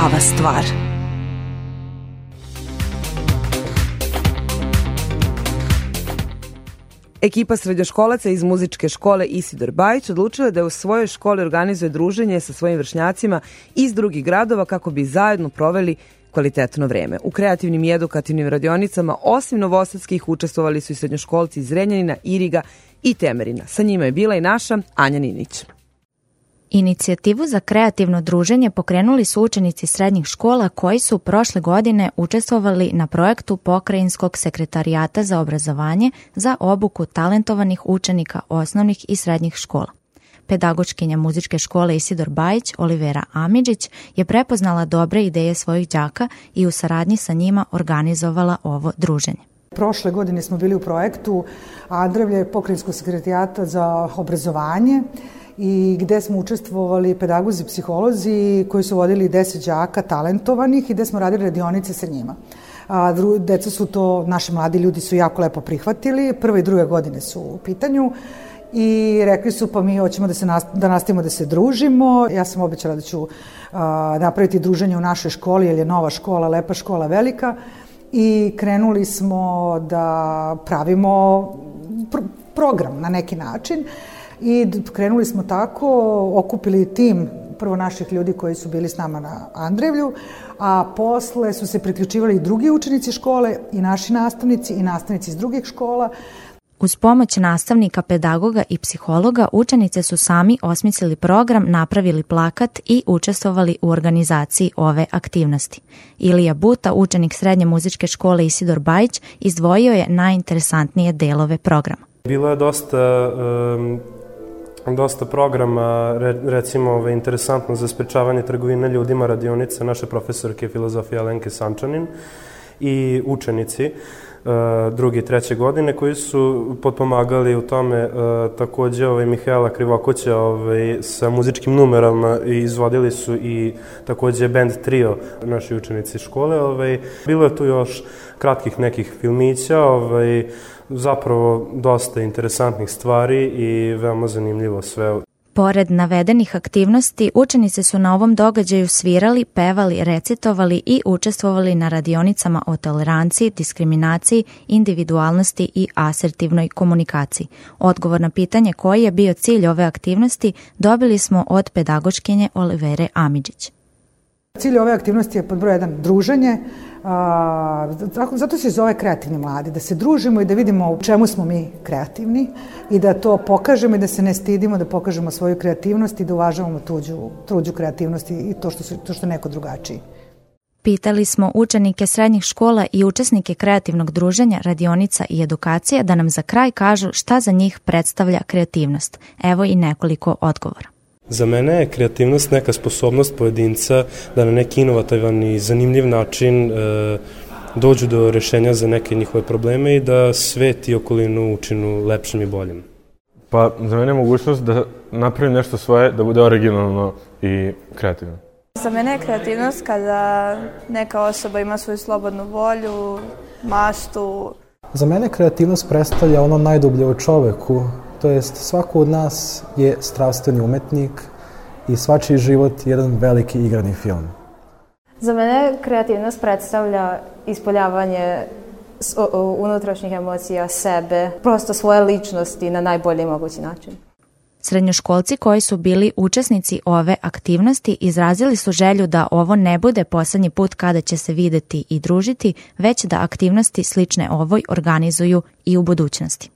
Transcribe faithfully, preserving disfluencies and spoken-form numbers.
prava stvar. Ekipa srednjoškolaca iz muzičke škole Isidor Bajić odlučila da u svojoj školi organizuje druženje sa svojim vršnjacima iz drugih gradova kako bi zajedno proveli kvalitetno vreme. U kreativnim i edukativnim radionicama, osim novosadskih, učestvovali su i srednjoškolci iz Renjanina, Iriga i Temerina. Sa njima je bila i naša Anja Ninić. Inicijativu za kreativno druženje pokrenuli su učenici srednjih škola koji su prošle godine učestvovali na projektu Pokrajinskog sekretarijata za obrazovanje za obuku talentovanih učenika osnovnih i srednjih škola. Pedagoškinja muzičke škole Isidor Bajić, Olivera Amidžić, je prepoznala dobre ideje svojih đaka i u saradnji sa njima organizovala ovo druženje. Prošle godine smo bili u projektu Andrevlje Pokrajinskog sekretarijata za obrazovanje i gde smo učestvovali pedagozi, psiholozi koji su vodili deset đaka talentovanih i gde smo radili radionice sa njima. A, dru, deca su to, naši mladi ljudi su jako lepo prihvatili, prve i druge godine su u pitanju i rekli su pa mi hoćemo da, se nast, da nastavimo da se družimo. Ja sam obećala da ću a, napraviti druženje u našoj školi jer je nova škola, lepa škola, velika i krenuli smo da pravimo pr- program na neki način. I krenuli smo tako, okupili tim prvo naših ljudi koji su bili s nama na Andrevlju, a posle su se priključivali i drugi učenici škole i naši nastavnici i nastavnici iz drugih škola. Uz pomoć nastavnika, pedagoga i psihologa, učenice su sami osmislili program, napravili plakat i učestvovali u organizaciji ove aktivnosti. Ilija Buta, učenik srednje muzičke škole Isidor Bajić, izdvojio je najinteresantnije delove programa. Bilo je dosta... Um... dosta programa, recimo interesantno za sprečavanje trgovine ljudima, radionice naše profesorke filozofije Alenke Sančanin i učenici druge i treće godine koji su potpomagali u tome takođe ovaj, Mihaela Krivokuća ovaj, sa muzičkim numerama i izvodili su i takođe band trio naši učenici škole. Ovaj. Bilo je tu još kratkih nekih filmića, ovaj, zapravo dosta interesantnih stvari i veoma zanimljivo sve. Pored navedenih aktivnosti, učenice su na ovom događaju svirali, pevali, recitovali i učestvovali na radionicama o toleranciji, diskriminaciji, individualnosti i asertivnoj komunikaciji. Odgovor na pitanje koji je bio cilj ove aktivnosti dobili smo od pedagoškinje Olivere Amidžić. Cilj ove aktivnosti je pod broj jedan druženje, a, zato se zove kreativni mladi, da se družimo i da vidimo u čemu smo mi kreativni i da to pokažemo i da se ne stidimo, da pokažemo svoju kreativnost i da uvažavamo tuđu, tuđu kreativnost i to što, su, to što je neko drugačiji. Pitali smo učenike srednjih škola i učesnike kreativnog druženja, radionica i edukacije da nam za kraj kažu šta za njih predstavlja kreativnost. Evo i nekoliko odgovora. Za mene je kreativnost neka sposobnost pojedinca da na neki inovativan i zanimljiv način e, dođu do rešenja za neke njihove probleme i da svet i okolinu učinu lepšim i boljim. Pa za mene je mogućnost da napravim nešto svoje, da bude originalno i kreativno. Za mene je kreativnost kada neka osoba ima svoju slobodnu volju, maštu. Za mene kreativnost predstavlja ono najdublje u čoveku. To jest, svako od nas je strastveni umetnik i svačiji život je jedan veliki igrani film. Za mene kreativnost predstavlja ispoljavanje unutrašnjih emocija, sebe, prosto svoje ličnosti na najbolji mogući način. Srednjoškolci koji su bili učesnici ove aktivnosti izrazili su želju da ovo ne bude poslednji put kada će se videti i družiti, već da aktivnosti slične ovoj organizuju i u budućnosti.